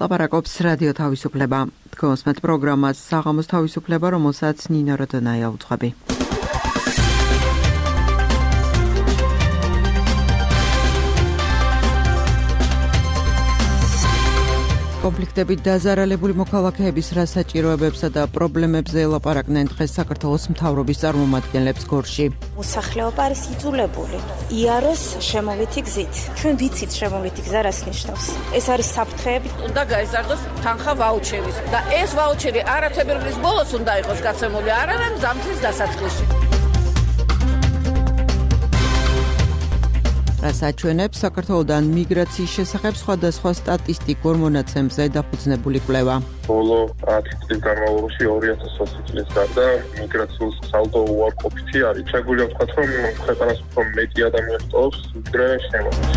ლაპარაკობს რადიო თავისუფლება. Თქვენს პროგრამას საღამოს თავისუფლება, რომელსაც ნინო როდონაია უძღვები. კონფლიქტებით დაზარალებული მოქალაქეების რა საჭიროებებსა და პრობლემებზე ელაპარაკნენ დღეს საქართველოს მთავრობის წარმომადგენლებს გორში. მოსახლეობა არის იძულებული იაროს შემოვლითი გზით. ჩვენ ვიცით შემოვლითი გზა რას ნიშნავს. ეს არის საფრთხეები. უნდა გაიზარდოს თანხა ვაუჩერის და ეს ვაუჩერი არა თებერვლის ბოლოს უნდა იყოს გაცემული, არამედ ზამთრის დასაწყისში. რას აჩვენებს საქართველოდან მიგრაციის შესახებ სხვადასხვა სტატისტიკურ მონაცემებზე დაფუძნებული კვლევა. ბოლო 10 წლის განმავლობაში 2020 წლის გარდა მიგრაციის სალდო უარყოფითი არის. შეგვიძლია ვთქვათ, რომ ქვეყანას უფრო მეტი ადამიანი ტოვებს, ვიდრე შემოდის.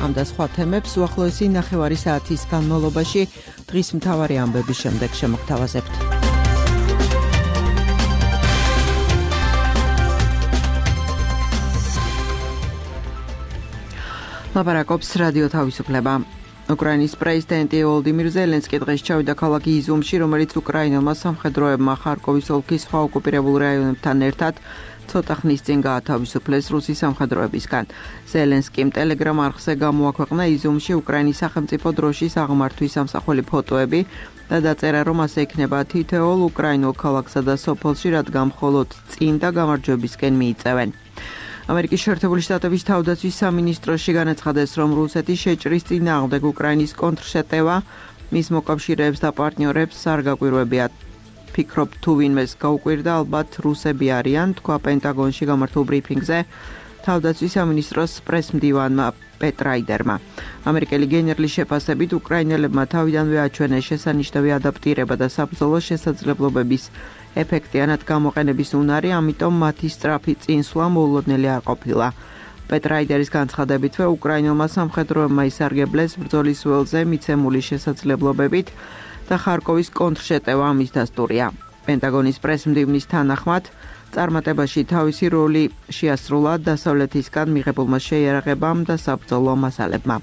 ამ და სხვა თემებს უახლოესი ნახევარი საათის განმავლობაში დღის მთავარი ამბების შემდეგ შემოგთავაზებთ. ლაპარაკობს რადიო თავისუფლება. უკრაინის პრეზიდენტი ვოლოდიმირ ზელენსკი დღეს ჩავიდა ქალაქ იზიუმში, რომელიც უკრაინელმა სამხედროებმა ხარკოვის ოლქის სხვა ოკუპირებულ რაიონებთან ერთად ცოტა ხნის წინ გაათავისუფლეს რუსის სამხედროებისგან. ზელენსკიმ ტელეგრამ არხზე გამოაქვეყნა იზიუმში უკრაინის სახელმწიფო დროშის აღმართვის ამსახველი ფოტოები და დაწერა, რომ ასე იქნება თითოეულ უკრაინულ ქალაქსა და სოფელში, რადგან მხოლოდ წინ და გამარჯვებისკენ მიიწევენ. ამერიკის შეერთებული შტატების თავდაცვის სამინისტროში განაცხადეს, რომ რუსეთი შეჭრის წინააღმდეგ უკრაინის კონტრშეტევა მის მოკავშირეებს და პარტნიორებს არ გაკვირვებიათ. ფიქრობ, თუ ვინმეს გაუკვირდა, ალბათ რუსები არიან, თქვა პენტაგონში გამართულ ბრიფინგზე თავდაცვის სამინისტროს პრესმდივანმა პეტრაიდერმა. ამერიკელი გენერლის შეფასებით, უკრაინელებმა თავიდანვე აჩვენეს შესანიშნავი ადაპტირება და საბრძოლო შესაძლებლობების ეფექტიანად გამოყენების უნარი, ამიტომ მათი სწრაფი წინსვლა მოულოდნელი არ ყოფილა. პეტრაიდერის განცხადებითვე, უკრაინელმა სამხედროებმა ისარგებლეს ბრძოლის ველზე მიცემული შესაძლებლობებით და ხარკოვის კონტრშეტევა ამის დასტურია. პენტაგონის პრესმდივნის თანახმად, წარმატებაში თავისი როლი შეასრულა დასავლეთისგან მიღებულმა შეიარაღებამ და საბრძოლო მასალებმა.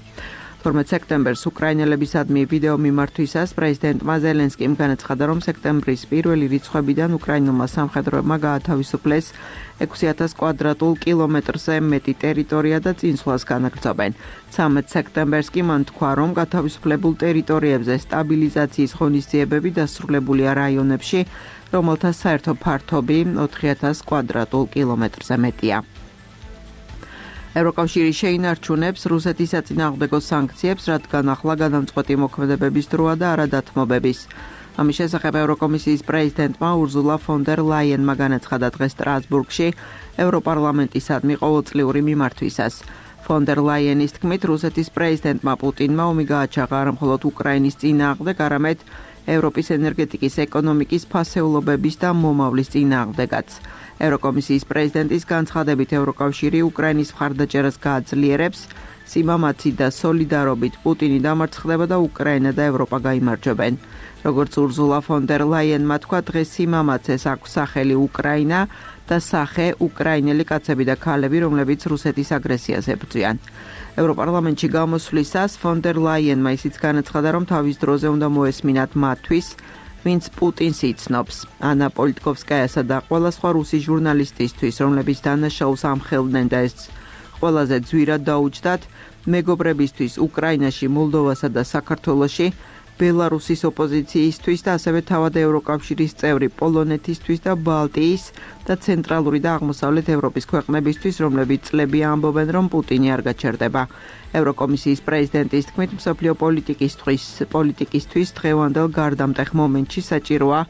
12 სექტემბერს უკრაინელებისადმი ვიდეო მიმართვისას პრეზიდენტმა ზელენსკიმ განაცხადა, რომ სექტემბრის პირველი რიცხვებიდან უკრაინულმა სამხედროებმა გაათავისუფლეს 6000 კვადრატულ კილომეტრზე მეტი ტერიტორია და წინსვლას განაგრძობენ. 13 სექტემბერს კი მან თქვა, რომ გათავისუფლებულ ტერიტორიებზე სტაბილიზაციის ღონისძიებები დასრულებულია რაიონებში, რომელთა საერთო ფართობი 4000 კვადრატულ კილომეტრზე მეტია. ევროკავშირი შეინარჩუნებს რუსეთის საწინააღმდეგო სანქციებს, რადგან ახლა გადამწყვეტი მოქმედებების დროა და არა დათმობების. ამის შესახებ ევროკომისიის პრეზიდენტმა ურზულა ფონ დერ ლაიენმა განაცხადა დღეს სტრასბურგში ევროპარლამენტისადმი ყოველწლიური მიმართვისას. ფონ დერ ლაიენის თქმით, რუსეთის პრეზიდენტმა პუტინმა ომი გააჩაღა არა მხოლოდ უკრაინის წინააღმდეგ, არამედ ევროპის ენერგეტიკის ეკონომიკის ფასეულობების და მომავლის წინააღმდეგაც. ევროკომისიის პრეზიდენტის განცხადებით, ევროკავშირი უკრაინის მხარდაჭერას გააძლიერებს, სიმამაცი და სოლიდარობით პუტინი დამარცხდება და უკრაინა და ევროპა გაიმარჯვებენ. როგორც ურზულა ფონ დერ ლაიენმა თქვა, დღეს სიმამაცეს აქვს სახელი უკრაინა და სახე უკრაინელი კაცები და ქალები, რომლებიც რუსეთის აგრესიას ებრძვიან. ევროპარლამენტში გამოსვლისას ფონ დერ ლაიენმა ისიც განაცხადა, რომ თავის დროზე უნდა მოესმინათ მათთვის, ვინც პუტინს იცნობს. ანა პოლიტკოვსკაიასა და ყველა სხვა რუსი ჟურნალისტისთვის, რომლებიც დანაშაულს ამხელდნენ და ეს ყველაზე ძვირად დაუჯდათ, მეგობრებისთვის უკრაინაში, მოლდოვასა და საქართველოში, ბელარუსის ოპოზიციისთვის და ასევე თავად ევროკავშირის წევრი პოლონეთისთვის და ბალტიის და ცენტრალური და აღმოსავლეთ ევროპის ქვეყნებისთვის, რომლებიც წლებია ამბობენ, რომ პუტინი არ გაჩერდება. ევროკომისიის პრეზიდენტის თქმით, მსოფლიო პოლიტიკისთვის დღევანდელ გარდამტეხ მომენტში საჭიროა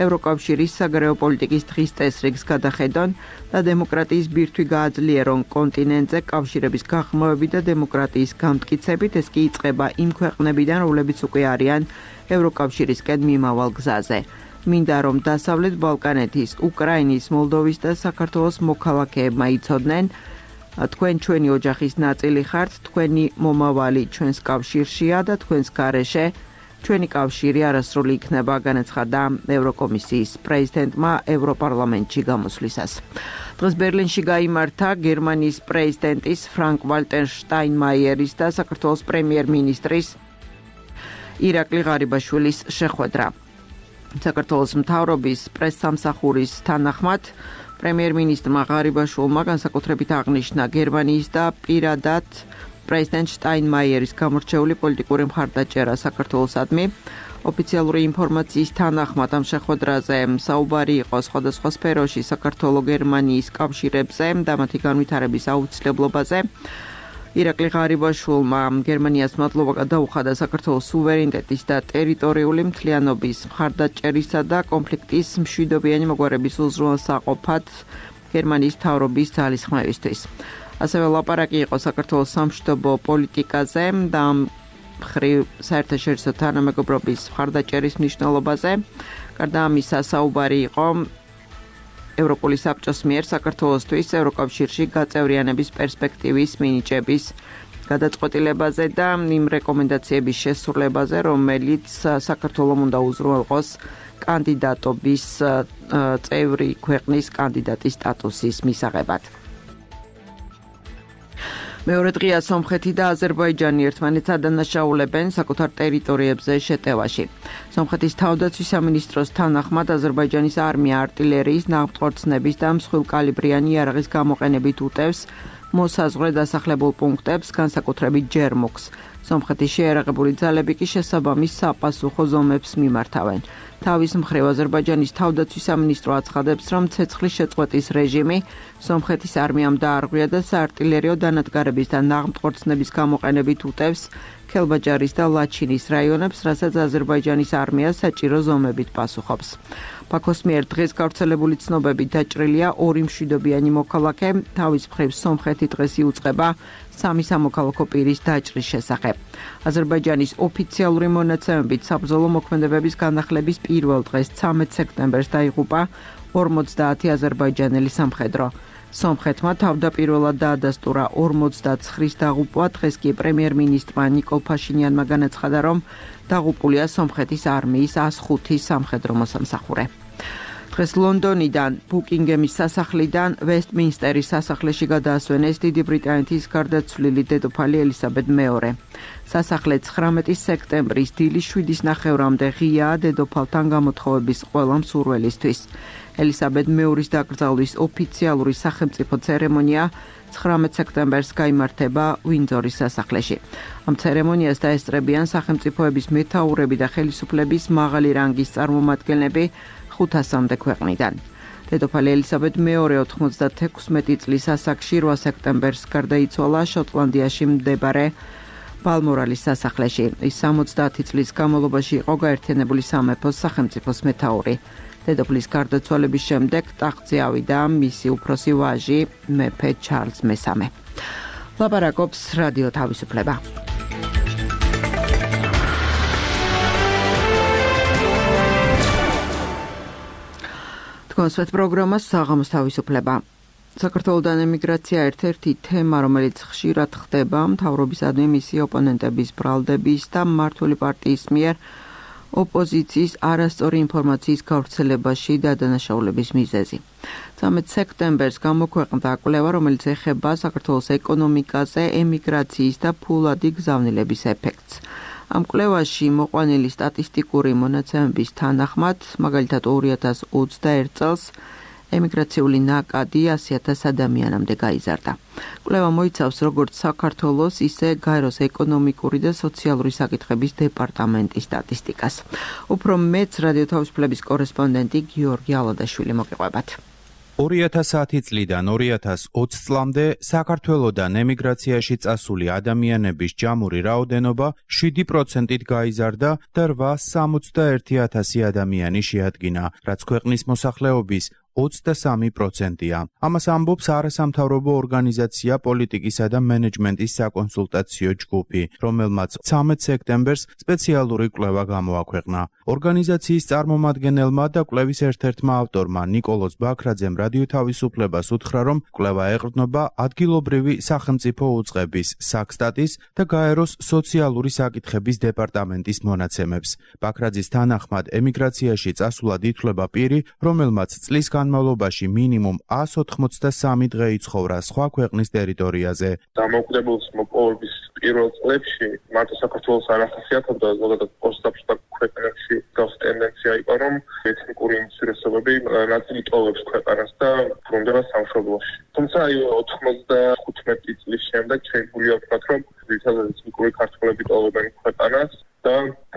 ევროკავშირის საგარეო პოლიტიკის დღის წესრიგს გადახედონ და დემოკრატიის ბირთვი გააძლიერონ კონტინენტზე კავშირების გაღრმავებით და დემოკრატიის გამტკიცებით. ეს კი იწყება იმ ქვეყნებიდან, რომლებიც უკვე არიან ევროკავშირისკენ მიმავალ გზაზე. მინდა რომ დასავლეთ ბალკანეთის, უკრაინის, მოლდოვის და საქართველოს მოქალაქეებმა იცოდნენ, თქვენ ჩვენი ოჯახის ნაწილი ხართ, თქვენი მომავალი ჩვენს კავშირშია და თქვენს გარეშე ჩვენი კავშირი არასრული იქნება, განაცხადა ევროკომისიის პრეზიდენტმა ევროპარლამენტში გამოსვლისას. დღეს ბერლინში გაიმართა გერმანიის პრეზიდენტის ფრანკ-ვალტერ შტაინმაიერის და საქართველოს პრემიერ-მინისტრის ირაკლი ღარიბაშვილის შეხვედრა. საქართველოს მთავრობის პრესსამსახურის თანახმად პრემიერ-მინისტრმა ღარიბაშვილმა განსაკუთრებით აღნიშნა გერმანიის და პირადად პრეზიდენტ შტაინმაიერის გამორჩეული პოლიტიკური მხარდაჭერა საქართველოსადმი. ოფიციალური ინფორმაციის თანახმად ამ შეხვედრაზე საუბარი იყო სხვადასხვა სფეროში საქართველო-გერმანიის კავშირებზე და მათი განვითარების აუცილებლობაზე. ირაკლი ღარიბაშვილმა გერმანიას მადლობა გადაუხადა საქართველოს სუვერენიტეტის და ტერიტორიული მთლიანობის მხარდაჭერისა და კონფლიქტის მშვიდობიანი მოგვარების უზრუნველსაყოფად გერმანიის მთავრობის ძალისხმევისთვის. ასევე ლაპარაკი იყო საქართველოს სამშვიდობო პოლიტიკაზე და მხრივ საერთაშორისო თანამეგობრობის მხარდაჭერის მნიშვნელობაზე. გარდა ამისა, საუბარი იყო ევროპული საბჭოს მიერ საქართველოსთვის ევროკავშირში გაწევრიანების პერსპექტივის მინიჭების გადაწყვეტილებაზე და იმ რეკომენდაციების შესრულებაზე, რომელიც საქართველოს უნდა უზრუნველყოს კანდიდატობის წევრი ქვეყნის კანდიდატის სტატუსის მისაღებად. მეორე დღეა სომხეთი და აზერბაიჯანი ერთმანეთს ადანაშაულებენ საკუთარ ტერიტორიებზე შეტევაში. სომხეთის თავდაცვის სამინისტროს თანახმად აზერბაიჯანის არმია არტილერიის, ნავთქორწნების და მსხვილკალიბრიანი იარაღის გამოყენებით უტევს მოსაზღვრე დასახლებულ პუნქტებს, განსაკუთრებით ჯერმუქს. სომხეთის შეიარაღებული ძალები კი შესაბამის საპასუხო ზომებს მიმართავენ. თავის მხრივ აზერბაიჯანის თავდაცვის სამინისტრო აცხადებს, რომ ცეცხლის შეწყვეტის რეჟიმი სომხეთის არმიამ დაარღვია და საარტილერიო დანადგარების და ნაღმთქორწნების გამოყენებით უტევს ქელბაჯარის და ლაჩინის რაიონებს, რასაც აზერბაიჯანის არმია საჭირო ზომებით პასუხობს. ბაქოს მიერ დღეს გავრცელებული ცნობებით დაჭრილია 2 მშვიდობიანი მოქალაქე, თავის მხრივ სომხეთი დღეს იუწყება 3 სამოქალაქო პირის დაჭრის შესახებ. აზერბაიჯანის ოფიციალური მონაცემებით საბრძოლო მოქმედებების განახლების პირველ დღეს 13 სექტემბერს დაიღუპა 50 აზერბაიჯანელი სამხედრო. სომხეთმა თავდაპირველად დაადასტურა 49-ის დაღუპვა, დღეს კი პრემიერ-მინისტრმა ნიკოლ ფაშინიანმა განაცხადა, რომ დაღუპულია სომხეთის არმიის 105 სამხედრო მოსამსახურე. დღეს ლონდონიდან ბუკინგემის სასახლიდან ვესტმინსტერის სასახლეში გადაასვენეს დიდი ბრიტანეთის გარდაცვლილი დედოფალი ელისაბედ მეორე. სასახლე 19 სექტემბრის დილის 7:30-მდე ღიაა დედოფალთან გამოთხოვების ყველა მსურველისთვის. ელისაბედ მეორის დაკრძალვის ოფიციალური სახელმწიფო ცერემონია 19 სექტემბერს გაიმართება უინძორის სასახლეში. ამ ცერემონიას დაესწრებიან სახელმწიფოების მეთაურები და ხელისუფლების მაღალი რანგის წარმომადგენლები 500-მდე ქვეყნიდან. დედოფალი ელისაბედ მეორე 96 წლის ასაკში 8 სექტემბერს გარდაიცვალა შოტლანდიაში მდებარე ბალმორალის სასახლეში. ის 70 წლის განმავლობაში იყო გაერთიანებული სამეფოს სახელმწიფოს მეთაური. დედოფლის გარდაცვალების შემდეგ ტახტზე ავიდა მისი უფროსი ვაჟი მეფე ჩარლზ მესამე. ლაპარაკობს რადიო თავისუფლება. კონსვეთ პროგრამა საღამოს თავისუფლება. საქართველოდან ემიგრაცია ერთ-ერთი თემა, რომელიც ხშირად ხდება მთავრობისადმი მისი ოპონენტების ბრალდების და მმართველი პარტიის მიერ ოპოზიციის არასწორი ინფორმაციის გავრცელებაში და დანაშაულების მიზეზი. 13 სექტემბერს გამოქვეყნდა კვლევა, რომელიც ეხება საქართველოს ეკონომიკაზე ემიგრაციის და ფულადი გზავნილების ეფექტს. ამ კვლევაში მოყვანილი სტატისტიკური მონაცემების თანახმად, მაგალითად 2021 წელს ემიგრაციული ნაკადი 100,000 ადამიანამდე გაიზარდა. კვლევა მოიცავს როგორც საქართველოს, ისე გაეროს ეკონომიკური და სოციალური საკითხების დეპარტამენტის სტატისტიკას. უფრო მეც რადიო თავისუფლების კორესპონდენტი გიორგი ალადაშვილი მოგიყვებათ. 2010 წლიდან 2020 წლამდე საქართველოდან ემიგრაციაში წასული ადამიანების ჯამური რაოდენობა 7%-ით გაიზარდა და 861,000 ადამიანი შეადგინა, რაც ქვეყნის მოსახლეობის 23%-ია. ამას ამბობს არასამთავრობო ორგანიზაცია პოლიტიკისა და მენეჯმენტის საკონსულტაციო ჯგუფი, რომელმაც 13 სექტემბერს სპეციალური კვლევა გამოაქვეყნა. ორგანიზაციის წარმომადგენელმა და კვლევის ერთ-ერთმა ავტორმა ნიკოლოზ ბაქრაძემ რადიო თავისუფლებას უთხრა, რომ კვლევა ეყრდნობა ადგილობრივი სახელმწიფო უწყების საქსტატის და გაეროს სოციალური საკითხების დეპარტამენტის მონაცემებს. ბაქრაძის თანახმად ემიგრაციაში წასვლად ითვლება პირი, რომელმაც წლის განმავლობაში მინიმუმ 183 დღე იცხოვრა სხვა ქვეყნის ტერიტორიაზე. დამოუკიდებლობის მოპოვების პირველ წლებში მარტო საქართველოს არ ახასიათებდა, ზოგადად პოსტ-აპშტაბ ქვეყნებში გავს ტენდენცია იყო, რომ ეთნიკური უმცირესობები ნაწილი ტოვებს ქვეყანას და ბრუნდება სამშობლოში. თუმცა 95 წლის შემდეგ შეგვიძლია ვთქვათ, რომ ძირითადად ეთნიკური ქართველები ტოვებენ ქვეყანას და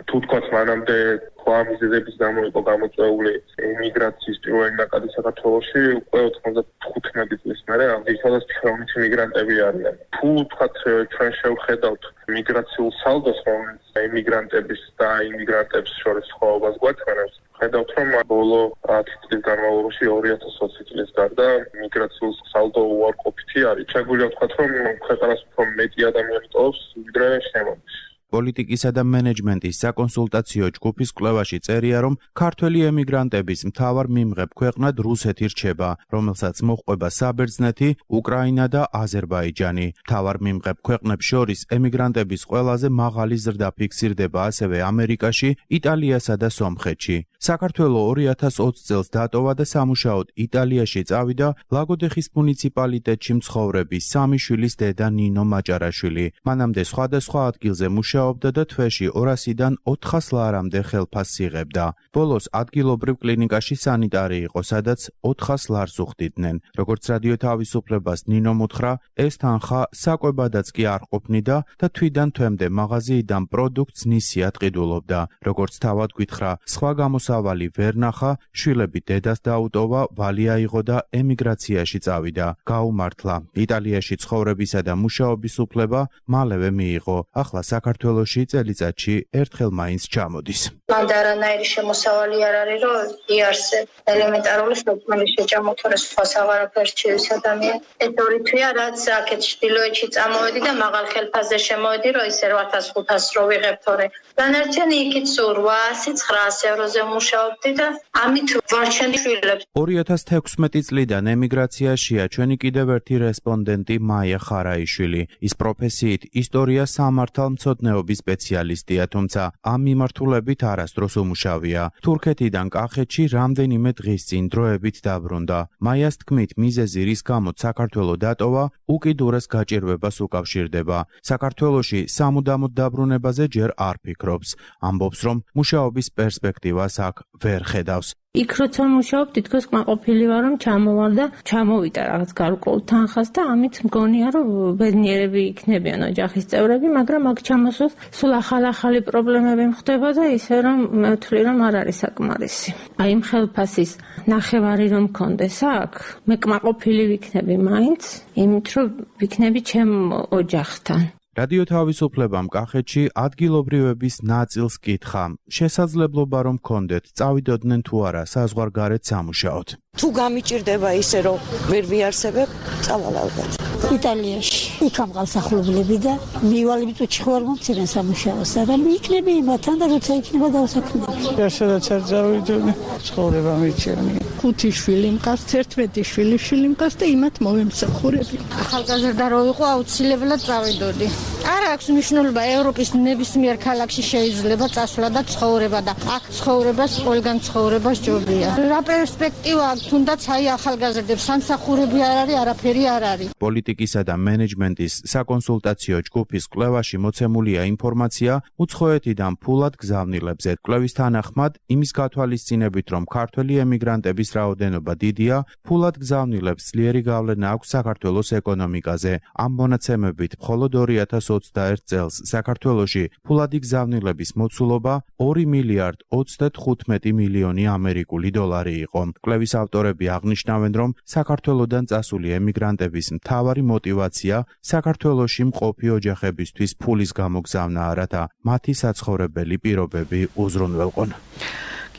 თუ თქვათ მანამდე სხვა მიზეზების გამო იყო გამოწვეული იმიგრაციის პირველი ნაკადი საქართველოში, უკვე 95 წლის მერე ძირითადად ჩვენი იმიგრანტები არიან. თუ თქვათ ჩვენ შევხედავთ მიგრაციულ სალდოს, რომელიც იმიგრანტების და იმიგრანტებს შორის სხვაობას გვაჩვენებს, ხედავთ, რომ ბოლო 10 წლის განმავლობაში 2020 წლის გარდა მიგრაციულ სალდო უარყოფითი არის. შეგვიძლია ვთქვათ, რომ ქვეყანას უფრო მეტი ადამიანი ტოვებს, ვიდრე შემოდის. პოლიტიკისა და მენეჯმენტის საკონსულტაციო ჯგუფის კვლევაში წერია, რომ ქართველი ემიგრანტების მთავარ მიმღებ ქვეყნად რუსეთი რჩება, რომელსაც მოჰყვება საბერძნეთი, უკრაინა და აზერბაიჯანი. მთავარ მიმღებ ქვეყნებს შორის ემიგრანტების ყველაზე მაღალი ზრდა ფიქსირდება ასევე ამერიკაში, იტალიასა და სომხეთში. საქართველო 2020 წელს დატოვა და სამუშაოდ იტალიაში წავიდა ლაგოდეხის მუნიციპალიტეტში მცხოვრები 3 შვილის დედა ნინო მაჭარაშვილი. მანამდე სხვადასხვა ადგილზე მუშაობდა და თვეში 200-დან 400 ლარამდე ხელფასს იღებდა. ბოლოს ადგილობრივ კლინიკაში სანიტარი იყო, სადაც 400 ლარს უხდიდნენ. როგორც რადიო თავისუფლებას ნინომ უთხრა, ეს თანხა საკვებადაც კი არ ყოფნიდა და თვიდან თვემდე მაღაზიიდან პროდუქტს ნისიად ყიდულობდა. როგორც თავად გითხრა, სხვა გამოსავალი ვერ ნახა, შვილები დედას დაუტოვა, ვალი აიღო და ემიგრაციაში წავიდა. გაუმართლა. იტალიაში ცხოვრებისა და მუშაობის უფლება მალევე მიიღო. ახლა საქართველოში წელიწადში ერთხელ მაინც ჩამოდის. მანდ არანაირი შემოსავალი არ არის, რომ იარსებ ელემენტარული სოციალური შეჭამოთორე სხვა საღარაფერს ჩივის ადამიანი. ეს ორი თვეა, რაც აქეთ ჩრდილოეთში წამოვედი და მაღალ ხელფასზე შემოვედი, რომ ისე 8500 რო ვიღებ თორე. დანარჩენი იქით 800-900 ევროზე მუშაობდი და ამით ვარჩენდი შვილებს. 2016 წლიდან ემიგრაციაშია ჩვენი კიდევ ერთი რესპონდენტი მაია ხარაიშვილი. ის პროფესიით ისტორია სამართალმცოდნეობის სპეციალისტია, თუმცა ამ მიმართულებით არასდროს უმუშავია. თურქეთიდან კახეთში რამდენიმე დღის წინ დროებით დაბრუნდა. მაიას თქმით, მიზეზი რის გამოც საქართველო დატოვა, უკიდურეს გაჭირვებას უკავშირდება. საქართველოში სამუდამოდ დაბრუნებაზე ჯერ არ ფიქრობს. ამბობს, რომ მუშაობის პერსპექტივას აქ ვერ ხედავს. იქ როცა მუშაობ, თითქოს კმაყოფილი ვარ, რომ ჩამოვარ და ჩამოვიდა რაღაც გარკვეულ თანხას და ამით მგონია, რომ ბედნიერები იქნებიან ოჯახის წევრები, მაგრამ აქ ჩამოსვლას სულ ახალი პრობლემები მხდება და ისე რომ მე ვთვლი, რომ არ არის საკმარისი. აი იმ ხელფასის ნახევარი რომ მქონდეს აქ, მე კმაყოფილი ვიქნები მაინც, იმით რომ ვიქნები ჩემ ოჯახთან. რადიო თავისუფლებამ კახეთში ადგილობრივების ნაწილს კითხა, შესაძლებლობა რომ გქონდეთ, წავიდოდნენ თუ არა საზღვარგარეთ სამუშაოდ. თუ გამიჭირდება ისე რომ ვერ ვიარსებებ, წავალ ალბათ. იტალიაში იქ ამღალსახლებლები და მივალები წუთში ხوار მომცირენ სამუშაოს და იქნები იმათან და როცა იქნება დავსაქმდები. სადაც არ წავიდოდი, ცხოვრება მიჩვენია. 5 შვილი მყავს, 11 შვილი მყავს და იმათ მოვემსახურები. ახალგაზრდა რო იყო, აუცილებლად წავიდოდი. არ აქვს მნიშვნელობა, ევროპის ნებისმიერ ქალაქში შეიძლება წასვლა და ცხოვრება და აქ ცხოვრებას, ყველგან ცხოვრებას ჯობია. რა პერსპექტივა აქვს, თუნდაც აი ახალგაზრდებს სამსახურები არ არის, არაფერი არ არის. პოლიტიკისა და მენეჯმენტის საკონსულტაციო ჯგუფის კვლევაში მოცემულია ინფორმაცია უცხოეთიდან ფულად გზავნილებზე. კვლევის თანახმად, იმის გათვალისწინებით, რომ ქართველი ემიგრანტების რაოდენობა დიდია, ფულად გზავნილებს ძლიერი გავლენა აქვს საქართველოს ეკონომიკაზე. ამ მონაცემებით მხოლოდ 2021 წელს საქართველოში ფულადი გზავნილების მოცულობა 2 მილიარდ 35 მილიონი ამერიკული დოლარი იყო. კვლევის ავტორები აღნიშნავენ, რომ საქართველოდან წასული ემიგრანტების მთავარი мотиваცია საქართველოში მყოფი ოჯახებისთვის ფულის გამოგზავნაა, რათა მათი საცხოვრებელი პირობები უზრუნველყონ.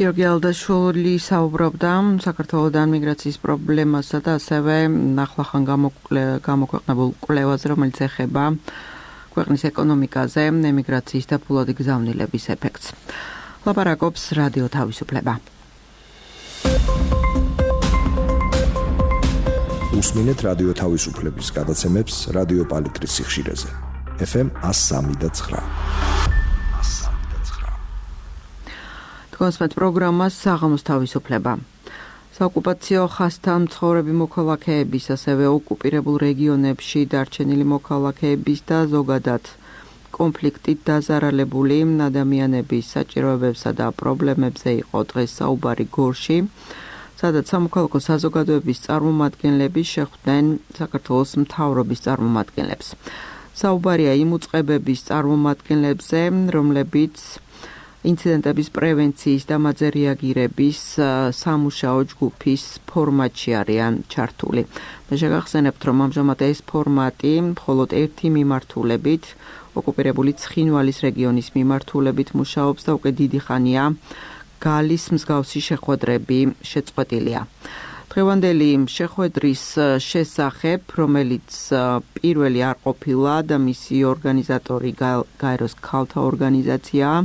გიორგი ალდაშვილი საუბრობდა საქართველოსთან მიგრაციის პრობლემასა და ასევე ახლახან გამოქვეყნებულ კვლევაზე, რომელიც ეხება ქვეყნის ეკონომიკაზე, ემიგრაციის და ფულადი გზავნილების ეფექტს. ლაპარაკობს რადიო თავისუფლება. უსმინეთ რადიო თავისუფლების გადაცემებს რადიო პალიტრის სიხშირეზე. FM 103.9. კონსპეთ პროგრამას საღამოს თავისუფლება. საოკუპაციო ხაზთან მცხოვრები მოქალაქეების, ასევე ოკუპირებულ რეგიონებში დარჩენილი მოქალაქეების და ზოგადად კონფლიქტით დაზარალებული ადამიანების საჭიროებებსა და პრობლემებზე იყო დღეს საუბარი გორში, სადაც სამოქალაქო საზოგადოების წარმომადგენლები შეხვდნენ საქართველოს მთავრობის წარმომადგენლებს. საუბარია იმ უწყებების წარმომადგენლებზე, რომლებიც ინციდენტების პრევენციის და მათზე რეაგირების სამუშაო ჯგუფის ფორმატში არიან ჩართული. და შეგახსენებთ, რომ ამჟამად ეს ფორმატი მხოლოდ ერთი მიმართულებით, ოკუპირებული ცხინვალის რეგიონის მიმართულებით მუშაობს და უკვე დიდი ხანია გალის მსგავსი შეხვედრები შეწყვეტილია. დღევანდელი შეხვედრის შესახებ, რომელიც პირველი არ ყოფილა და მისი ორგანიზატორი გაეროს ქალთა ორგანიზაციაა,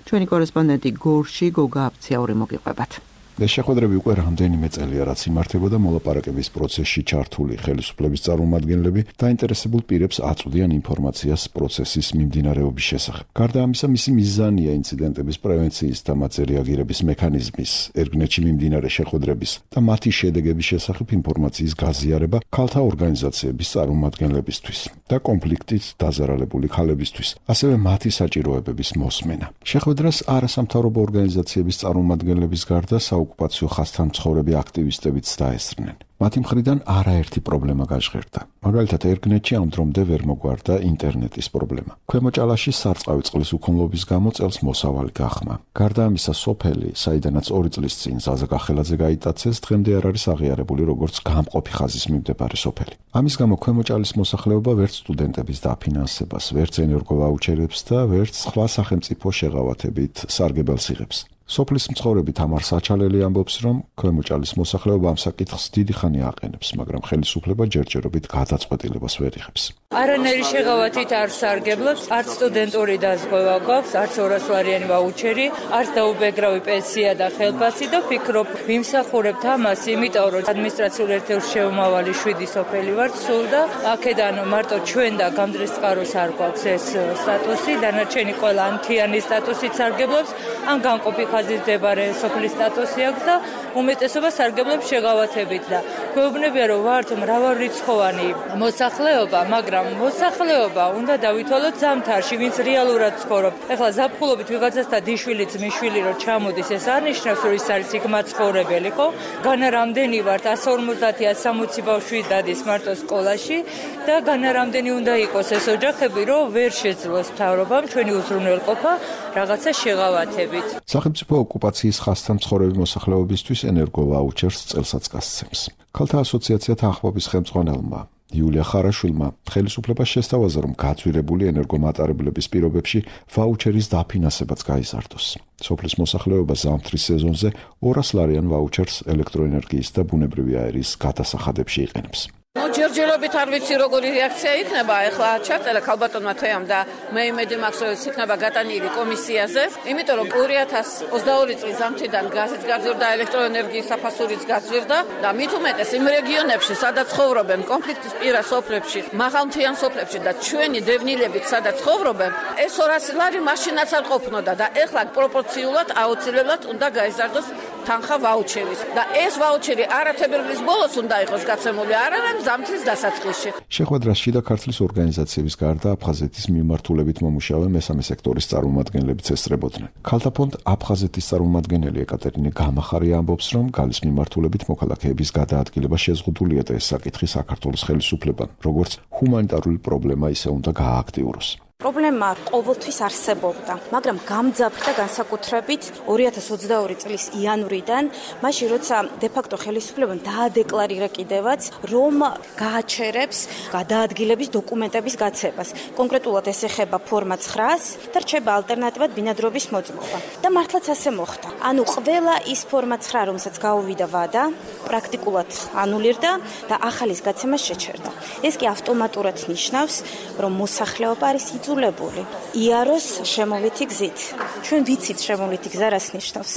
ჩვენი კორესპონდენტი გორში გოგა აფციაური მოგიყვებათ. შეხვედრები უკვე რამდენიმე წელია რაც იმართებოდა, მოლაპარაკების პროცესში ჩართული ხელისუფლების წარმომადგენლები დაინტერესებულ პირებს აწვდიან ინფორმაციას პროცესის მიმდინარეობის შესახებ. გარდა ამისა, მისი მიზანია ინციდენტების პრევენციის და მათზე რეაგირების მექანიზმის, ერგნეთში მიმდინარე შეხვედრების და მათი შედეგების შესახებ ინფორმაციის გაზიარება ქალთა ორგანიზაციების წარმომადგენლებისთვის და კონფლიქტით დაზარალებული ქალებისთვის, ასევე მათი საჭიროებების მოსმენა. შეხვედრას არასამთავრობო ორგანიზაციების წარმომადგენლების გარდა ოკუპაციო ხაზთან მცხოვრები აქტივისტებიც დაესწრნენ. მათი მხრიდან არაერთი პრობლემა გაჟღერდა. მაგალითად, ერგნეთში ამ დრომდე ვერ მოგვარდა ინტერნეტის პრობლემა. ქვემოჭალაში სარწყავი წყლის უქონლობის გამო წელს მოსავალი გახმა. გარდა ამისა, სოფელი, საიდანაც 2 წლის წინ ზაზა გახელაძე გაიტაცეს, დღემდე არ არის აღიარებული როგორც გამყოფი ხაზის მიმდებარე სოფელი. ამის გამო ქვემოჭალის მოსახლეობა ვერც სტუდენტების დაფინანსებას, ვერც ენერგოვაუჩერებს და ვერც სხვა სახელმწიფო შეღავათებით სარგებელს იღებს. სოფლის მცხოვრები თამარ საჩალელი ამბობს, რომ ქვემოჭალის მოსახლეობა ამ საკითხს დიდი ხანი აყენებს, მაგრამ ხელისუფლება ჯერჯერობით გადაწყვეტილებას ვერ იღებს. არანაირი შეღავათით არ სარგებლობს, არც სტუდენტური დაზღვევა გვაქვს, არც 200 ლარიანი ვაუჩერი, არც დაუბეგრავი პენსია და ხელფასი და ვფიქრობ, ვიმსახურებთ ამას, იმიტომ რომ ადმინისტრაციულ ერთეულში შემომავალი 7 სოფელი ვართ სულ და აქედან მარტო ჩვენ და გამდრის წყაროს არ გვაქვს ეს სტატუსი, დანარჩენი ყველა ანთიანი სტატუსით სარგებლობს, ან განყოფი ხაზის მდებარე სოფლის სტატუსი აქვს და უმეტესობა სარგებლობს შეღავათებით და გვეუბნებია, რომ ვართ მრავალრიცხოვანი მოსახლეობა, მაგრამ მოსახლეობა უნდა დავითვალოთ ზამთარში, ვინც რეალურად ცხოვრობ. ეხლა ზაფხულობით ვიღაცასთან დიშვილი ძმისშვილი რომ ჩამოდის, ეს არ ნიშნავს, რომ ის არის იქ მაცხოვრებელი, ხო? განა რამდენი ვართ 150-160 ბავშვი დადის მარტო სკოლაში და განა რამდენი უნდა იყოს ეს ოჯახები, რომ ვერ შეძლოს მთავრობამ ჩვენი უზრუნველყოფა რაღაცა შეღავათებით. სახელმწიფო ოკუპაციის ხაზთან მცხოვრები მოსახლეობისთვის ენერგოვაუჩერს წელსაც გასცემს. ქალთა ასოციაცია თანხმობის ხელმძღვანელმა იულია ხარაშვილმა ხელისუფლებას შესთავაზა, რომ გაძვირებული ენერგომატარებლების პირობებში ვაუჩერის დაფინანსებაც გაიზარდოს. სოფლის მოსახლეობა ზამთრის სეზონზე 200 ლარიან ვაუჩერს ელექტროენერგიის და ბუნებრივი აირის გადასახადებში იყენებს. ჯერჯერობით არ ვიცი როგორი რეაქცია იქნება, ეხლა ჩაწერა ქალბატონმა თეამ და მე იმედი მაქვს, რომ იქნება გატანილი კომისიაზე, იმიტომ რომ 2022 წლის ზამთრიდან გაზიც გაძვირდა, ელექტროენერგიის საფასურიც გაძვირდა და მით უმეტეს იმ რეგიონებში, სადაც ცხოვრობენ კონფლიქტის პირას სოფლებში, მაღალმთიან სოფლებში და ჩვენი დევნილებით სადაც ცხოვრობენ, ეს 200 ლარი მაშინაც არ ყოფნოდა და ეხლა პროპორციულად აუცილებლად უნდა გაიზარდოს თანხა ვაუჩერის და ეს ვაუჩერი არათებერვლის ბოლოს უნდა იყოს გაცემული, არამედ ზამთრის დასაწყისში. შეხვედრას შიდა ქართლის ორგანიზაციების გარდა აფხაზეთის მიმართულებით მომუშავე მესამე სექტორის წარმომადგენლებიც ესწრებოდნენ. ქალთა ფონდ აფხაზეთის წარმომადგენელი ეკატერინე გამახარია ამბობს, რომ გალის მიმართულებით მოქალაქეების გადაადგილება შეზღუდულია და ეს საკითხი საქართველოს ხელისუფლებამ, როგორც ჰუმანიტარული პრობლემა ისე უნდა გაააქტიუროს. პრობლემა ყოველთვის არსებობდა, მაგრამ გამძაფრდა განსაკუთრებით 2022 წლის იანვრიდან, მაშინ როცა დე-ფაქტო ხელისუფლებამ დაადეკლარირა კიდევაც, რომ გააჩერებს გადაადგილების დოკუმენტების გაცემას. კონკრეტულად ეს ეხება ფორმა 9-ს და რჩება ალტერნატივად ბინადრობის მოწმობა. და მართლაც ასე მოხდა. ანუ ყველა ის ფორმა 9, რომელსაც გაუვიდა ვადა, პრაქტიკულად ანულირდა და ახალის გაცემა შეჩერდა. ეს კი ავტომატურად ნიშნავს, რომ მოსახლეობა არის იძულებული იაროს შემოვლითი გზით. ჩვენ ვიცით შემოვლითი გზა რას ნიშნავს.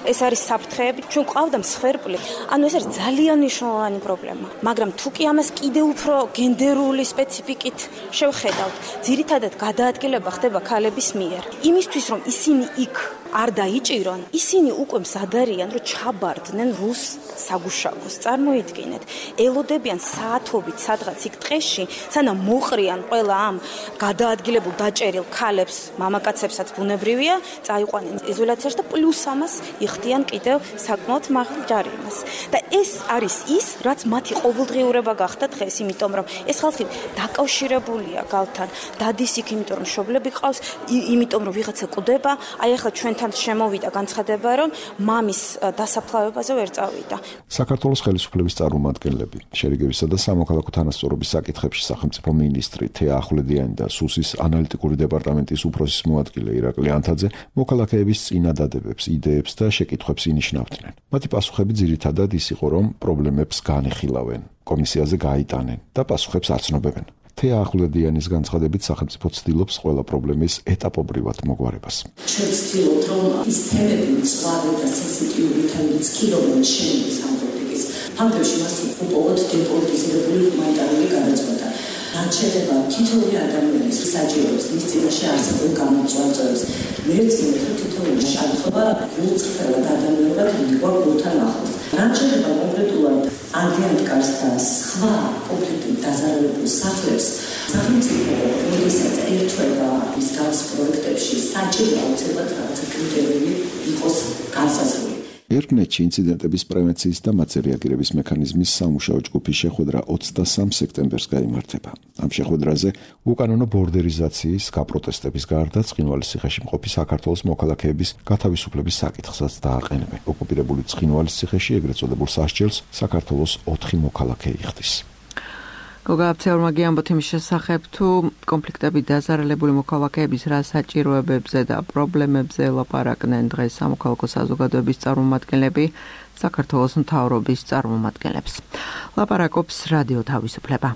ეს არის საფრთხეები, ჩვენ ყავდა მსხვერპლი. ანუ ეს არის ძალიან მნიშვნელოვანი პრობლემა. მაგრამ თუ კი ამას კიდევ უფრო გენდერული სპეციფიკით შევხედავთ, ძირითადად გადაადგილება ხდება ქალების მიერ. იმისთვის რომ ისინი იქ არ დაიჭირონ, ისინი უკვე მზად არიან, რომ ჩაბარდნენ რუს საგუშაგოს. წარმოიდგინეთ, ელოდებიან საათობით სადღაც იქ ტყეში, სანამ მოყრიან ყველა ამ გადაადგილებულ დაჭერილ ქალებს, მამაკაცებსაც ბუნებრივია, წაიყვანენ იზოლაციაში და პლუს ამას იხდიან კიდევ საკმაოდ მაღალ ჯარიმას. და ეს არის ის, რაც მათი ყოველდღიურება გახდა დღეს, იმიტომ რომ ეს ხალხი დაკავშირებულია გალთან, დადის იქ, იმიტომ რომ მშობლები ყავს, იმიტომ რომ ვიღაცა კვდება, აი ახლა ჩვენ თან შემოვიდა განცხადება, რომ მამის დასაფლავებაზე ვერ წავიდა. საქართველოს ხელისუფლების წარმომადგენლები, შერიგებისა და სამოქალაქო თანასწორობის საკითხებში სახელმწიფო მინისტრი თეა ახვლედიანი და სუსის ანალიტიკური დეპარტამენტის უფროსის მოადგილე ირაკლი ანთაძე მოქალაქეების წინადადებებს, იდეებს და შეკითხვებს ინიშნავდნენ. მათი პასუხები ძირითადად ის იყო, რომ პრობლემებს განეხილავენ, კომისიაზე გაიტანენ და პასუხებს აცნობებენ. თეა ახვლედიანის განცხადებით სახელმწიფო ცდილობს ყველა პრობლემის ეტაპობრივად მოგვარებას. ჩვენ ვცდილობთ, რომ ის თემები მწვავე და სენსიტიური თემებიც კიდევ შეიქმნას ამ პოლიტიკის ფაქტებში მას უპოვოთ დეპოლიტიზებული ჰუმანიტარული გადაწყვეტა. რაც შეეხება თითოეული ადამიანის საჭიროებს, მის წინაშე არსებულ გამოწვევებს, მერწმუნეთ, რომ თითოეული შემთხვევა გულწრფელად ადამიანურად მიიღო გულთან ახლოს. რაც შეეხება კონკრეტულად ანგიანკარს და სხვა კონფლიქტით დაზარალებულ სახლებს, სახელმწიფო როდესაც ერთვება ის გავს პროექტებში, საჭირო აუცილებლად რაღაცა კრიტერიუმი იყოს განსაზღვრული. ერკნეტში ინციდენტების პრევენციის და მათზე რეაგირების მექანიზმის სამუშაო ჯგუფის შეხვედრა 23 სექტემბერს გაიმართება. ამ შეხვედრაზე უკანონო ბორდერიზაციის, გაპროტესტების გარდა ცხინვალის ციხეში მყოფი საქართველოს მოქალაქეების გათავისუფლების საკითხსაც დააყენებენ. ოკუპირებული ცხინვალის ციხეში ეგრეთ წოდებულ სასჯელს საქართველოს 4 მოქალაქე იხდის. გოგა აფცეურმაგი ამბობთ იმის შესახებ, თუ კონფლიქტებით დაზარალებული მოქალაქეების რა საჭიროებებზე და პრობლემებზე ლაპარაკდნენ დღეს სამოქალაქო საზოგადოების წარმომადგენლები საქართველოს მთავრობის წარმომადგენლებს. ლაპარაკობს რადიო თავისუფლება.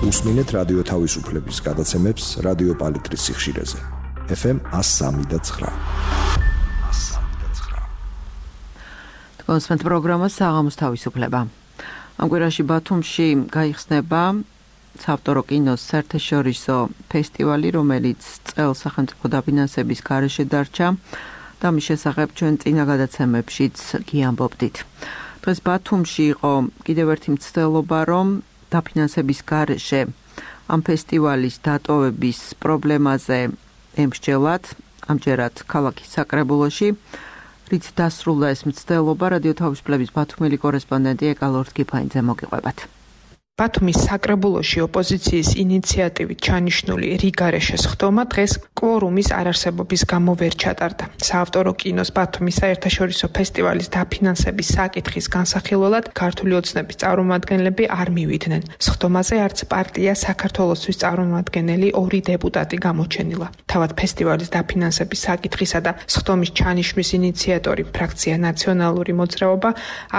უსმინეთ რადიო თავისუფლების გადაცემებს რადიო პალიტრის სიხშირეზე. FM 103.9. კონსპენთ პროგრამა საღამოს თავისუფლება. ამ კვირაში ბათუმში გაიხსნება საავტორო კინოს საერთაშორისო ფესტივალი, რომელიც წელს სახელმწიფო დაფინანსების გარეშე დარჩა და მის შესახებ ჩვენ წინა გადაცემებშიც გიამბობდით. დღეს ბათუმში იყო კიდევ ერთი მცდელობა, რომ დაფინანსების გარეშე ამ ფესტივალის დატოვების პრობლემაზე ემსჯელათ, ამჯერად ქალაქის საკრებულოში. რით დასრულდა ეს მცდელობა, რადიო თავისუფლების ბათუმელი კორესპონდენტი ეკალორდ კიფაინძე მოგიყვებათ. ბათუმის საკრებულოში ოპოზიციის ინიციატივით ჩანიშნული რიგარეშე სხდომა დღეს კვორუმის არარსებობის გამო ვერ ჩატარდა. საავტორო კინოს ბათუმის საერთაშორისო ფესტივალის დაფინანსების საკითხის განსახილველად ქართული ოცნების წარმომადგენლები არ მივიდნენ. სხდომაზე არც პარტია საქართველოსთვის წარმომადგენელი 2 დეპუტატი გამოჩენილა. თავად ფესტივალის დაფინანსების საკითხისა და სხდომის ჩანიშვნის ინიციატორი ფრაქცია ნაციონალური მოძრაობა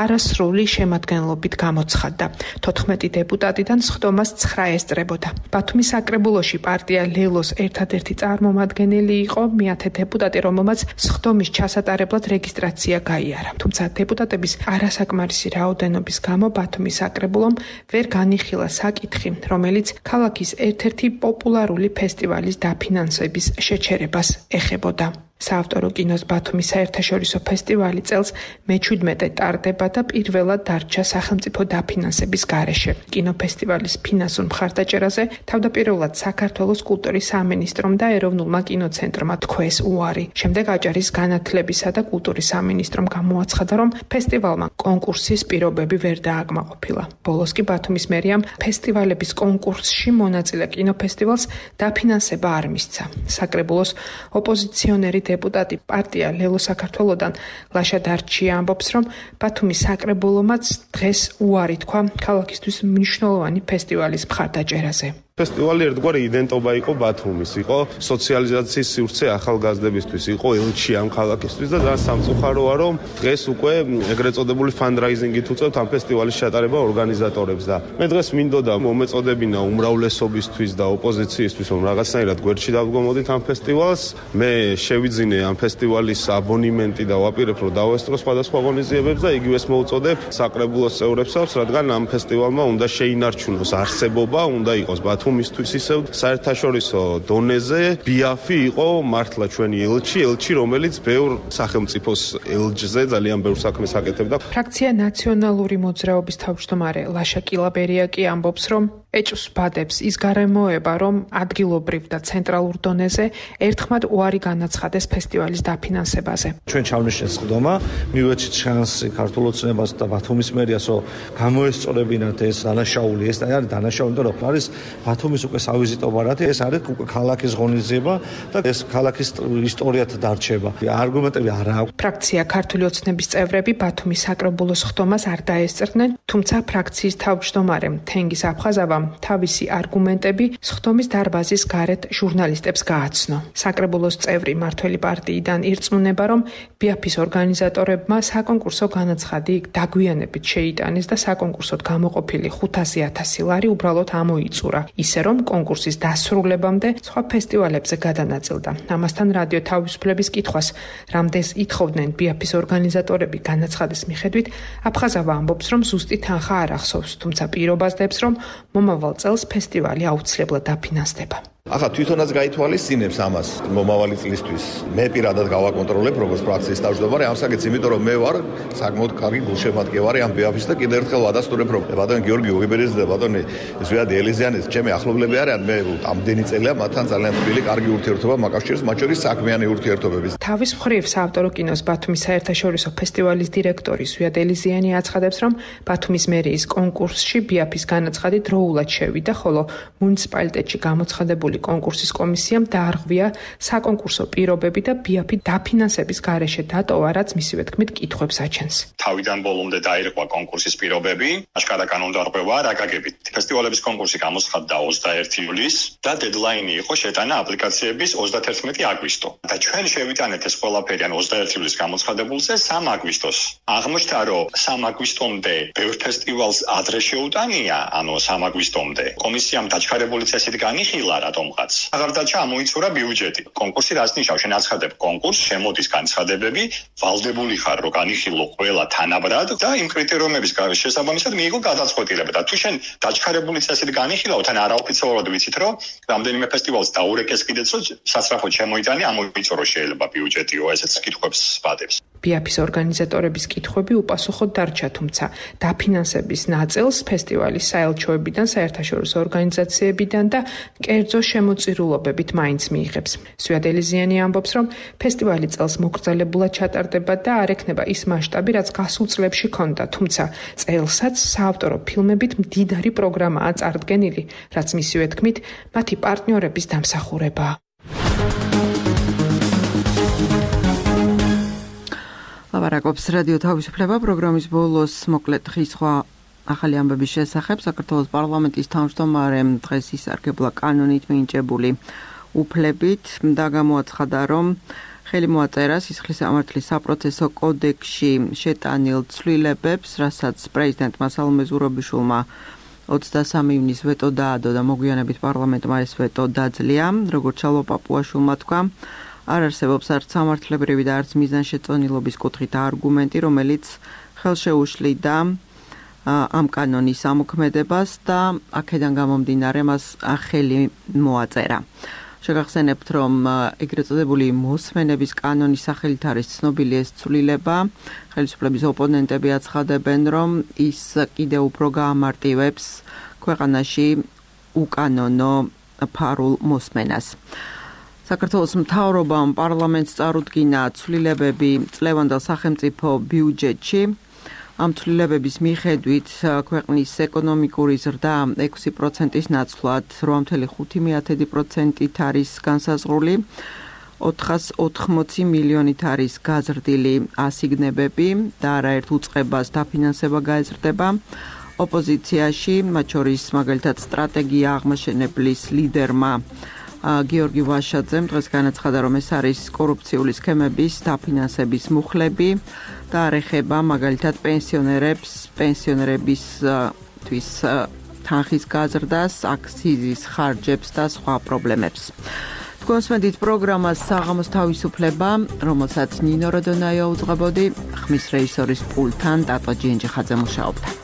არასრული შემადგენლობით გამოცხადდა. 14 დეპუტატიდან სხდომას 9 ესწრებოდა. ბათუმის საკრებულოში პარტია ლელოს ერთადერთი წარმომადგენელი იყო, მეათე დეპუტატი, რომელმაც სხდომის ჩასატარებლად რეგისტრაცია გაიარა. თუმცა დეპუტატების არასაკმარისი რაოდენობის გამო ბათუმის საკრებულომ ვერ განიხილა საკითხი, რომელიც ქალაქის ერთ-ერთი პოპულარული ფესტივალის დაფინანსების შეჩერებას ეხებოდა. საავტორო კინოს ბათუმის საერთაშორისო ფესტივალი წელს მე-17 ტარდება და პირველად დარჩა სახელმწიფო დაფინანსების გარეშე. კინოფესტივალის ფინანსურ მხარდაჭერაზე თავდაპირველად საქართველოს კულტურის სამინისტრომ და ეროვნულმა კინოცენტრმა თქვეს უარი. შემდეგ აჭარის განათლებისა და კულტურის სამინისტრომ გამოაცხადა, რომ ფესტივალმა კონკურსის პირობები ვერ დააკმაყოფილა. ბოლოს კი ბათუმის მერიამ ფესტივალების კონკურსში მონაწილე კინოფესტივალს დაფინანსება არ მისცა. საკრებულოს ოპოზიციონერი დეპუტატი პარტია ლელო საქართველოდან ლაშა დარჩია ამბობს, რომ ბათუმის საკრებულომაც დღეს უარი თქვა ქალაქისთვის მნიშვნელოვანი ფესტივალის მხარდაჭერაზე. ფესტივალი ერთგვარი იდენტობა იყო ბათუმის, იყო სოციალიზაციის სივრცე ახალგაზრდებისთვის, იყო ელჩი ამ ქალაქისთვის და ძალიან სამწუხაროა, რომ დღეს უკვე ეგრეთ წოდებული ფანდრაიზინგით უწევთ ამ ფესტივალის ჩატარება ორგანიზატორებს და მე დღეს მინდოდა მომეწოდებინა უმრავლესობისთვის და ოპოზიციისთვის, რომ რაღაცნაირად გვერდში დავდგომოდით ამ ფესტივალს. მე შევიძინე ამ ფესტივალის აბონემენტი და ვაპირებ, რომ დავესწრო სხვადასხვა ღონისძიებებს და იგივეს მოვუწოდებ საკრებულოს წევრებსაც, რადგან ამ ფესტივალმა უნდა შეინარჩუნოს არსებობა, უნდა იყოს მისთვის ისევ საერთაშორისო დონეზე ბიაფი იყო მართლა ჩვენი ელჩი, რომელიც ბევრ სახელმწიფოს ელჯზე ძალიან ბევრ საქმეს აკეთებდა. ფრაქცია ნაციონალური მოძრაობის თავმჯდომარე ლაშა კილაბერია კი ამბობს, რომ ეჭვს ბადებს ის გარემოება, რომ ადგილობრივ და ცენტრალურ დონეზე ერთხმად უარი განაცხადეს ფესტივალის დაფინანსებაზე. ჩვენ ჩავნეშეთ სხდომა, მივეცით შანსი ქართულ ოცნებას და ბათუმის მერიას, რომ გამოესწორებინათ ეს დანაშაული, ეს არის დანაშაული, იმიტომ რომ არის ბათუმის უკვე სავიზიტო ბარათი, ეს არის უკვე ქალაქის ღონისძიება და ეს ქალაქის ისტორიათ დარჩება. არგუმენტები არ აქვს. ფრაქცია ქართული ოცნების წევრები ბათუმის საკრებულოს ხდომას არ დაესწრნენ, თუმცა ფრაქციის თავმჯდომარე თენგიზ აფხაზავამ თავისი არგუმენტები სხდომის დარბაზის გარეთ ჟურნალისტებს გააცნო. საკრებულოს წევრი მართველი პარტიიდან ირწმუნება, რომ ბიაფის ორგანიზატორებმა საკონკურსო განაცხადი დაგვიანებით შეიტანეს და საკონკურსოდ გამოყოფილი 500,000 ლარი უბრალოდ ამოიწურა. ისე რომ კონკურსის დასრულებამდე სხვა ფესტივალებზე გადანაწილდა. ამასთან რადიო თავისუფლების კითხვას, რამდენს ითხოვდნენ ბიაფის ორგანიზატორები განაცხადის მიხედვით, აფხაზავა ამბობს, რომ ზუსტი თანხა არ ახსოვს, თუმცა პირობას დებს, რომ მომავალ წელს ფესტივალი აუცილებლად დაფინანსდება. ახლა თვითონაც გაითვალისწინებს ამას მომავალი წლისთვის. მე პირადად გავაკონტროლებ როგორც ფრაქციის თავმჯდომარე ამ საკითხს, იმიტომ რომ მე ვარ საკმაოდ კარგი გულშემატკივარი ამ ბიაფის და კიდევ ერთხელ ვადასტურებ, რომ ბატონი გიორგი უგიბერიძე და ბატონი ზვიად ელიზიანის ჩემი ახლობლები არიან. მე ამდენი წელია მათთან ძალიან თბილი კარგი ურთიერთობა მაკავშირებს, მათ შორის საქმიანი ურთიერთობების. თავის მხრივ საავტორო კინოს ბათუმის საერთაშორისო ფესტივალის დირექტორი ზვიად ელიზიანი აცხადებს, რომ ბათუმის მერიის კონკურსში ბიაფის განაცხადი დროულად შევიდა, ხოლო მუნიციპალიტეტში გამოცხადებული კონკურსის კომისიამ დაარღვია საკონკურსო პირობები და ბიაფი დაფინანსების გარეშე დატოვა, რაც მისივე თქმით კითხვებს აჩენს. თავიდან ბოლომდე დაირღვა კონკურსის პირობები, აშკარა კანონდარღვევა რა გაგებით. ფესტივალების კონკურსი გამოცხადდა 21 ივლისს და დედლაინი იყო შეტანა აპლიკაციების 31 აგვისტო. და ჩვენ შევიტანეთ ეს ყველაფერი ან 21 ივლისს გამოცხადებულზე 3 აგვისტოს. აღმოჩნდა, რომ 3 აგვისტომდე ბევრ ფესტივალს ადრე შეუტანია, ანუ 3 აგვისტომდე. კომისიამ დაჩქარებული წესით განიხილა რატომღაც. აღარ დაჩა ამოიცურა ბიუჯეტი. კონკურსი რას ნიშნავს? შენ აცხადებ კონკურსს, შემოდის განცხადებები, ვალდებული ხარ, რომ განიხილო ყველა თანაბრად და იმ კრიტერიუმების შესაბამისად მიიღო გადაწყვეტილება. და თუ შენ დაჩქარებული წესით განიხილავ, თან არაოფიციალურად ვიცით, რომ რამდენიმე ფესტივალს დაურეკეს კიდეც, რომ სასწრაფოდ შემოიტანე, ამოიწურო შეიძლება ბიუჯეტიო, ესეც კითხვებს ვადებს. ბიაფის ორგანიზატორების კითხვები უპასუხოდ დარჩა, თუმცა დაფინანსების ნაწილს ფესტივალის საელჩოებიდან, საერთაშორისო ორგანიზაციებიდან და კერძო შემოწირულობებით მაინც მიიღებს. ზვიად ელიზიანი ამბობს, რომ ფესტივალი წელს მოკრძალებულად ჩატარდება და არ ექნება ის მასშტაბი, რაც გასულ წლებში ჰქონდა, თუმცა წელსაც საავტორო ფილმებით მდიდარი პროგრამაა წარდგენილი, რაც მისივე თქმით მათი პარტნიორების დამსახურებაა. ლაპარაკობს რადიო თავისუფლება პროგრამის ბოლოს მოკლედ დღის სხვა ახალი ამბების შესახებ. საქართველოს პარლამენტის თავმჯდომარემ დღეს ისარგებლა კანონით მინიჭებული უფლებით და გამოაცხადა, რომ ხელი მოაწერა სისხლის სამართლის საპროცესო კოდექსში შეტანილ ცვლილებებს, რასაც პრეზიდენტმა სალომე ზურაბიშვილმა 23 ივნისს ვეტო დაადო და მოგვიანებით პარლამენტმა ეს ვეტო დაძლია, როგორც ჩალო პაპუაშვილმა თქვა. არ არსებობს არც სამართლებრივი და არც მიზანშეწონილობის კუთხით არგუმენტი, რომელიც ხელშეუშლიდა ამ კანონის ამოქმედებას და აქედან გამომდინარე მას ხელი მოაწერა. შეგახსენებთ, რომ ეგრეთ წოდებული მოსმენების კანონის სახელით არის ცნობილი ეს ცვლილება. ხელისუფლების ოპონენტები აცხადებენ, რომ ის კიდევ უფრო გაამარტივებს ქვეყანაში უკანონო ფარულ მოსმენას. საქართველოს მთავრობამ პარლამენტს წარუდგინა ცვლილებები წლევანდელ სახელმწიფო ბიუჯეტში. ამ ცვლილებების მიხედვით ქვეყნის ეკონომიკური ზრდა 6%-ის ნაცვლად 8.5%-ით არის განსაზღვრული. 480 მილიონით არის გაზრდილი ასიგნებები და არაერთ უწყებას დაფინანსება გაეზრდება. ოპოზიციაში, მათ შორის მაგალითად სტრატეგია აღმაშენებლის ლიდერმა გიორგი ვაშაძემ დღეს განაცხადა, რომ ეს არის კორუფციული სქემების დაფინანსების მუხლები და არ ეხება მაგალითად პენსიონერებისთვის თანხის გაზრდას, აქციზის ხარჯებს და სხვა პრობლემებს. თქვენს მედით პროგრამას საღამოს თავისუფლება, რომელსაც ნინო როდონაია უძღვებოდი, ხმის რეჟისორის პულტთან ტატო ჯინჯიხაძე მუშაობდა.